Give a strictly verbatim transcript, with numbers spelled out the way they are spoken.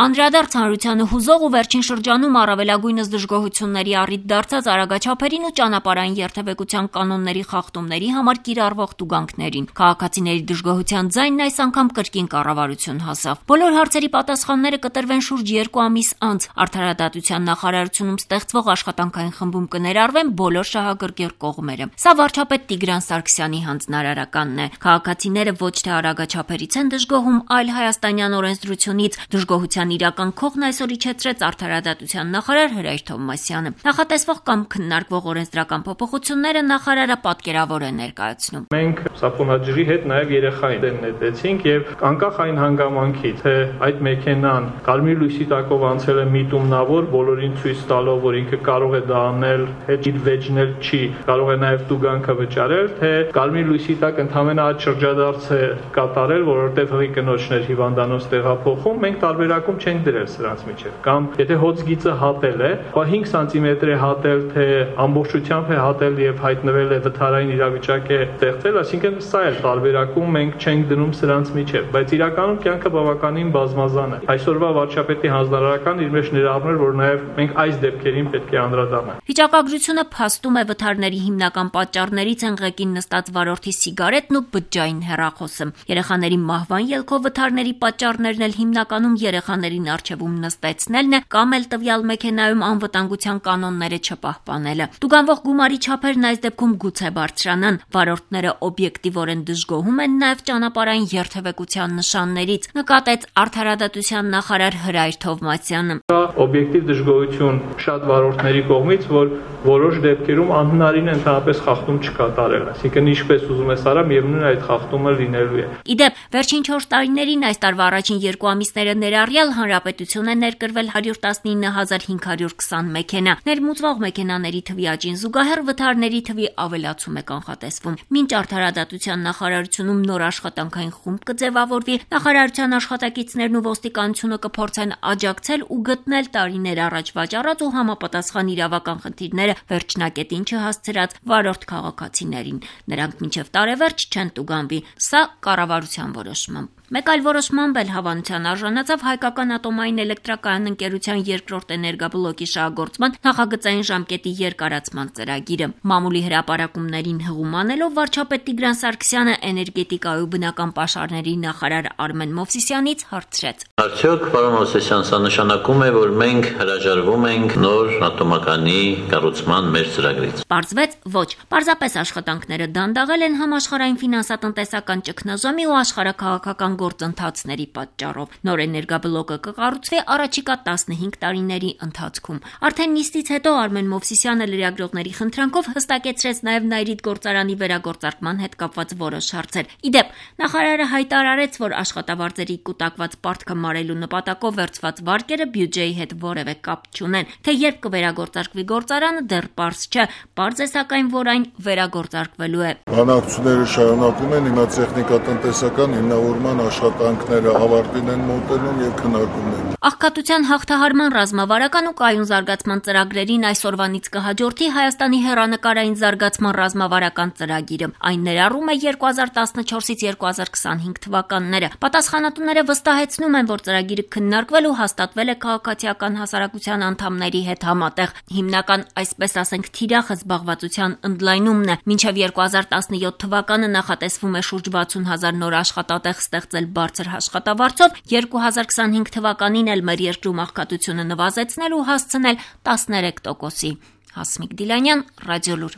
Անդրադարձ հանրությանը հուզող ու վերջին շրջանում առավելագույնս դժգոհությունների առիթ դարձած արագաչափերին ու ճանապարհային երթևեկության կանոնների խախտումների համար կիրառվող տուգանքներին։ Քաղաքացիների դժգոհության ձայնն այս անգամ կրկին կառավարություն հասավ։ Բոլոր հարցերի պատասխանները կտրվեն շուրջ երկու ամիս անց։ Արդարադատության նախարարությունում ստեղծվող աշխատանքային խմբում կներառվեն բոլոր շահագրգիռ կողմերը։ Սա վարչապետ Տիգրան Սարգսյանի հանձնարարականն է։ Քաղաքացիները ոչ թե արագաչափերից են դժգոհում, այլ հայաստանյան օրենսդրությունից։ Դժգոհության իրական քողն այսօր իջեցրեց արդարադատության նախարար Հրայր Թովմասյանը։ Նախատեսվող կամ քննարկվող օրենսդրական փոփոխությունները նախարարը պատկերավոր է ներկայացնում։ Մենք սափոնաջրի հետ նաև երեխային դեն նետեցինք եւ անկախ այն հանգամանքից, թե այդ մեքենան կարմիր լույսի տակով անցել է միտումնավոր, բոլորին ցույց տալով, որ ինքը կարող է դա անել, հետ իր վեճնել չի, կարող է նաև տուգանքը վճարել, թե կարմիր լույսի տակ ընդհանրապես այդ շրջադարձ է կատարել, որովհետեւ հղի կնոջներ հիվանդանոց տեղափոխում, մենք տարբերակում չենք դրել սրանց միջև։ Կամ եթե հոցգիծը հատել է, ապա հինգ սանտիմետր է հատել, թե ամբողջությամբ է հատել եւ հայտնվել է վթարային իրավիճակ է ստեղծել, այսինքն սա է տարբերակում, մենք չենք դնում սրանց միջև, բայց իրականում կյանքը բավականին բազմազան է։ Այսօրվա վարչապետի հանձնարարական իր մեջ ներառում էր, որ նաեւ մենք այս դեպքերին պետք է անդրադառնանք։ Վիճակագրությունը փաստում է վթարների հիմնական պատճառներից են ղեկին նստած վարորդի սիգարետն ու բջջային հեռախոսը։ Երեխաների մահվան ելքով վթարների պատճառներն էլ հիմնականում երեխաներին առջևում նստեցնելն է կամ էլ տվյալ մեքենայում անվտանգության կանոնները չպահպանելը։ Տուգանվող գումարի չափերն այս դեպքում գուցե բարձրանան։ Վարորդները օբյեկտիվորեն դժգոհում են նաև ճանապարհային երթևեկության նշաններից, նկատեց արդարադատության նախարար Հրայր Թովմասյանը։ Կա օբյեկտիվ դժգոհություն շատ վարորդների կողմից, որ որոշ դեպքերում անհնարին է ընդհանրապես խախտում չկատարել, այսինքն ինչպես ուզում ես արա, միևնույն այդ խախտումը լինելու է։ Իդեպ, վերջին չորս տարիներին այս տարվա առաջին երկու ամիսները ներառյալ հանրապետություն է ներկրվել հարյուր տասնինը հազար հինգ հարյուր քսան մեքենա։ Ներմուծվող մեքենաների թվի աճին զուգահեռ վթարների թվի ավելացում է կանխատեսվում։ Մինչ արդարադատության նախարարությունում նոր աշխատանքային խումբ կձևավորվի, նախարարության աշխատակիցներն ու ոստիկանությունը կփորձեն աջակցել ու գտնել տարիներ առաջ վաճառած ու համապատասխան իրավական խնդիրները վերջնակետին չհասցրած վարորդ քաղաքացիներին։ Նրանք մինչև տարեվերջ չեն տուգանվի։ Սա կառավարության որոշմամբ։ Մեկ այլ որոշմամբ էլ հավանության արժանացավ Հայկական ատոմային էլեկտրակայան ընկերության երկրորդ էներգաբլոկի շահագործման նախագծային ժամկետի երկարացման ծրագիրը։ Մամուլի հրապարակումներին հղում անելով վարչապետ Տիգրան Սարգսյանը էներգետիկայի ու բնական պաշարների նախարար Արմեն Մովսիսյանից հարցրեց. Արդյոք, պարոն Մովսիսյան, սա նշանակում է, որ մենք հրաժարվում ենք նոր ատոմականի կառուցման մեր ծրագրից։ Պարզվեց ոչ։ Պարզապես աշխատանքները դանդաղել են համաշխարհային ֆինանսատնտեսական ճգնաժամի ու աշխարհաքաղաքական գործընթացների պատճառով։ Նոր էներգաբլոկը կկառուցվի առաջիկա տասնհինգ տարիների ընթացքում։ Արդեն նիստից հետո Արմեն Մովսիսյանը լրագրողների խնդրանքով հստակեցրեց նաև Նայրիդ գործարանի վերագործարկման հետ կապված որոշ հարցեր։ Իդեպ, նախարարը հայտարարեց, որ աշխատավարձերի կուտակված պարտքը մարելու նպատակով վերցված վարկերը բյուջեի հետ որևէ կապ չունեն։ Թե երբ կվերագործարկվի գործարանը դեռ պարզ չէ, պարզ է սակայն, որ այն վերագործարկվելու է։ Բանակցությունները շարունակում են, հիմա տեխնիկատնտեսական հիմնավորման աշխատանքները ավարտին են մոտենում եւ քննարկում են։ Աղքատության հաղթահարման ռազմավարական ու կայուն զարգացման ծրագրերին այսօրվանից կհաջորդի Հայաստանի հեռանկարային զարգացման ռազմավարական ծրագիրը։ Այն ներառում է երկու հազար տասնչորսից երկու հազար քսանհինգ թվականները։ Պատասխանատուները վստահեցնում են, որ ծրագիրը քննարկվել ու հաստատվել է քաղաքացիական հասարակության անդամների հետ համատեղ։ Հիմնական, այսպես ասենք, թիրախը զբաղվածության ընդլայնումն է։ Մինչև երկու հազար տասնյոթ թվականը նախատեսվում է շուրջ վաթսուն հազար նոր աշխատատեղ ստեղծել բարձր աշխատավարձով, երկու հազար քսանհինգ թվականին էլ մեր երկրում աղքատությունը նվազեցնել ու հասցնել տասներեք տոկոսի։ Հասմիկ Դիլանյան, Ռադիոլուր։